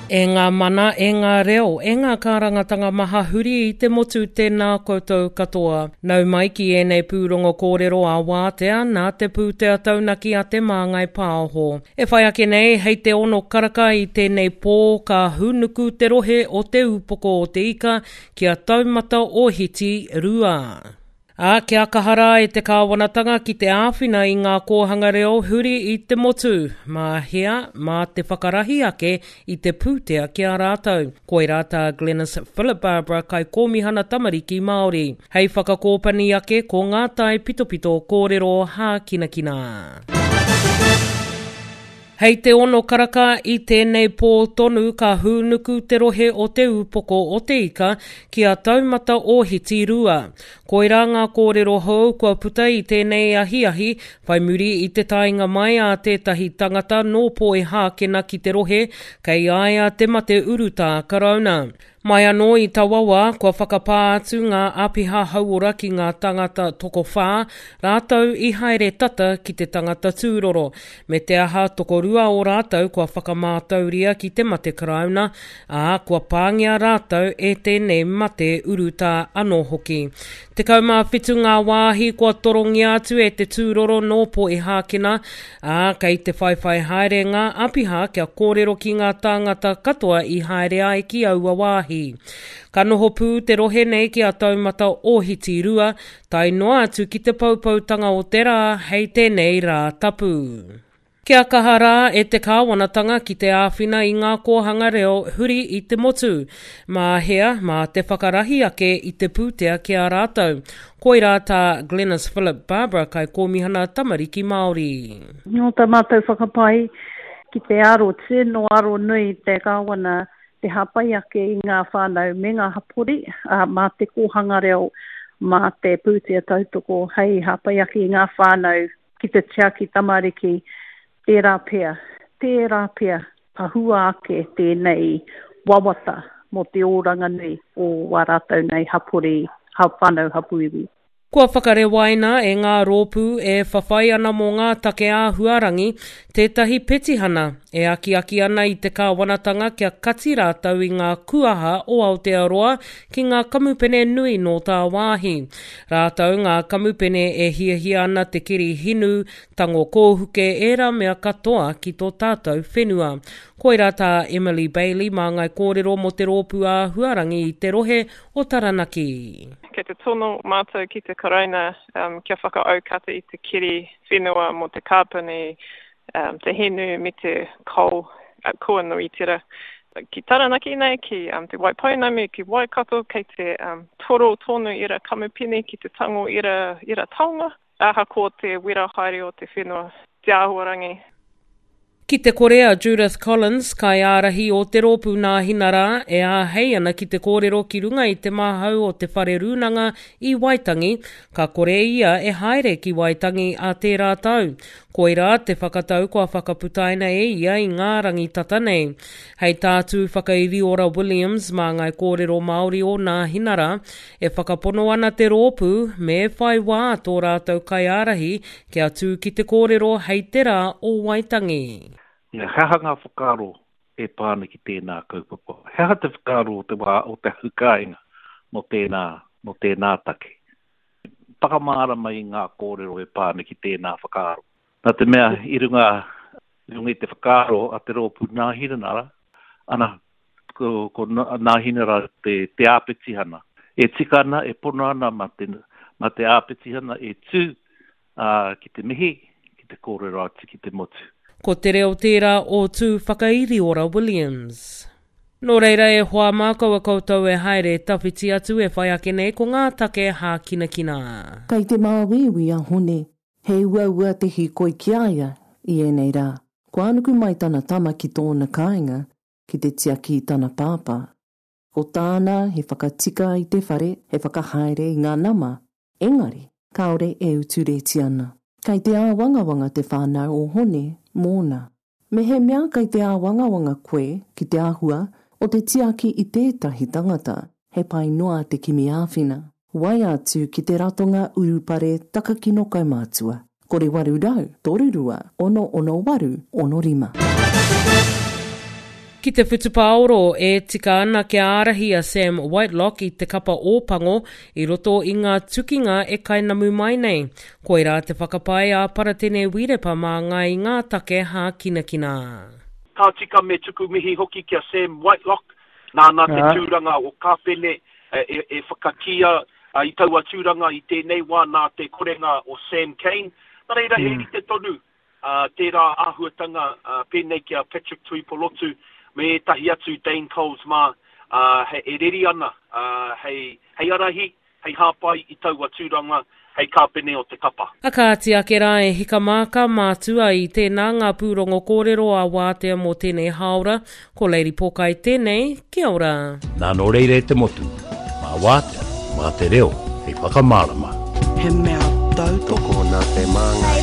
E ngā mana, e ngā reo, e ngā kārangatanga maha huri i te motu tēnā koutou katoa. Nau mai ki ēnei pūrongo kōrero ā-wātea nā te pūtea taunaki a Te Māngai Pāho. E whai ake nei, hei te ono karaka i tēnei pō ka hūnuku te rohe o Te Ūpoko o Te Ika ki a Taumata Ohiti 2. Ā, kia kaha rā e te kāwanatanga ki te āwhina i ngā kōhanga reo huri i te motu, mā hea, mā te whakarahi ake i te pūtea ki a rātou. Koirā tā Glenis Philip Barbara Kaikōmihana Tamariki Māori. Hei whakakōpani ake ko ngā tae pitopito kōrero hākinakina. Hei te ono karaka i tēnei pō tonu ka hūnuku te rohe o Te Ūpoko o Te Ika ki a Taumata Ōhiti 2. Koirā ngā kōrero hou kua puta i tēnei ahiahi whai muri i te taenga mai a tētahi tangata nō Poihākena ki te rohe kei a ia te mate urutā Karauna. Mai anō i taua wā, kua whakapā atu ngā āpiha hauora ki ngā tāngata tokowhā, rātou i haere tata ki te tangata tūroro. Me te aha, tokorua o rātou kua whakamātauria ki te mate karauna, ā, kua pāngia rātou e tēnei mate urutā anō hoki. 17 ngā wāhi kua torongia atu e te tūroro nō Poihākena, ā, kei te whaiwhai haere ngā āpiha kia kōrero ki ngā tāngata katoa i haere ai ki aua wāhi. Ka noho pū te rohe nei ki a Taumata Ōhiti 2, tae noa atu ki te poupoutanga o te rā hei tēnei rā tapu. Kia kaha rā e te kāwanatanga ki te āwhina i ngā kōhanga reo huri i te motu. Mā hea, mā te whakarahi ake i te pūtea ki a rātou. Koirā tā Glenis Philip Barbara Kaikōmihana Tamariki Māori. Nō tā mātou whakapae ki te aro tino aro nui te Kāwana te hāpai ake i ngā whānau me ngā hapori, ā, mā te kōhanga reo, mā te pūtea tautoko hei hāpai ake i ngā whānau ki te tiaki tamariki, tērā pea, tērā pea ka hua ake tēnei wawata mō te oranga nui o wā rātou nei hapori, whānau, hapū iwi. Kua whakarewaina e ngā rōpū e whawhai ana mō ngā take āhuarangi tētahi petihana e akiaki ana i te kāwanatanga kia kati rātou i ngā kuaha o Aotearoa ki ngā kamupene nui nō tāwāhi. Rātou ngā kamupene e hiahia ana te keri hinu, tango kōhuke ērā mea katoa ki tō tātou whenua. Koirā tā Emily Bailey māngai kōrero mō te rōpū āhuarangi i te rohe o Taranaki. Kei te tono mātou ki te Karauna kia whakaaukata i te keri whenua mō te kāpani, te hinu me te coal kua Nuitera. Ki Taranaki nei, ki Te Waipounamu, ki Waikato, kei te toro tonu ērā kamupene ki te tango ērā taonga. Ahakoa te wera haere o te whenua, te āhuarangi. Ki te kore a Judith Collins, kaiārahi o te rōpū Nāhinara, e āhei ana ki te kōrero ki runga i te māhau o te Whare Rūnanga i Waitangi, ka kore ia e haere ki Waitangi ā tērā tau. Koirā te whakatau kua whakaputaina e ia i ngā rangi tata nei. Hei tā Tūwhakairiora Williams, māngai kōrero Māori o Nāhinara, E whakapono ana te rōpū, me whai wā tō rātou kaiārahi kia tū ki te kōrero hei te rā o Waitangi. He aha ngā whakaaro e pā ana ki tēnā kaupapa? He aha te whakaaro o te wā o te hau kāinga mō tēnā, mō tēnā take? Whakamārama i ngā kōrero e pā ana ki tēnā whakaaro. Nā te mea i runga, i runga i te whakaaro a te rōpū Nāhinanara, ana, ko, ko Nāhinara te, te āpetihana. E tika ana, e pono ana mā te, mā te āpetihana e tū ā, ki te mihi, ki te kōrero atu ki te motu. Ko te reo tērā o Tūwhakairiora Williams. Nō reira e hoa mā kaua koutou e haere tawhiti atu e whai ake nei ko ngā take hākinakina. Kei te māuiui a Hone, he uaua te hīkoi ki a ia i ēnei rā. Kua nuku mai tana tama ki tōna kāinga ki te tiaki i tana pāpā. Ko tāna he whakatika i te whare, he whakahaere i ngā nama, engari kāore e utu rēti ana. Kei te āwangawanga te whānau o Hone mōna. Mehemea kei te āwangawanga koe ki te āhua o te tiaki i tētahi tangata, he pai noa te kimi āwhina. Waea atu ki te Ratonga Urupare Takakino Kaumātua, 0800 32 668 65. Ki te whutupaoro, e tika ana kia ārahi a Sam Whitelock i te kapa Ōpango i roto i ngā tukinga e kainamu mai nei. Koirā te whakapae a Paratene Wirepa māngai i ngā take hākinakina. Ka tika me tuku mihi hoki ki a Sam Whitelock, nāna te tūranga o Kāpene e whakakīia i taua tūranga i tēnei wā nā te korenga o Sam Cane. Nā reira he rite tonu tērā āhuatanga pēnei ki a Patrick Tuipolotu me ētahi atu Dane Coles mā e reri ana hei arahi, hei hāpai i taua tūranga hei kāpene o te kapa. A kāti ake rā e hika mā ka mātua i tēnā ngā pūrongo kōrero a Wātea mō tēnei hāora, ko Lady Pōkai tēnei, kia ora. Nā nō reira e te motu, mā Wātea, mā te reo hei whakamārama. He mea tautoko. Tokona te māngai.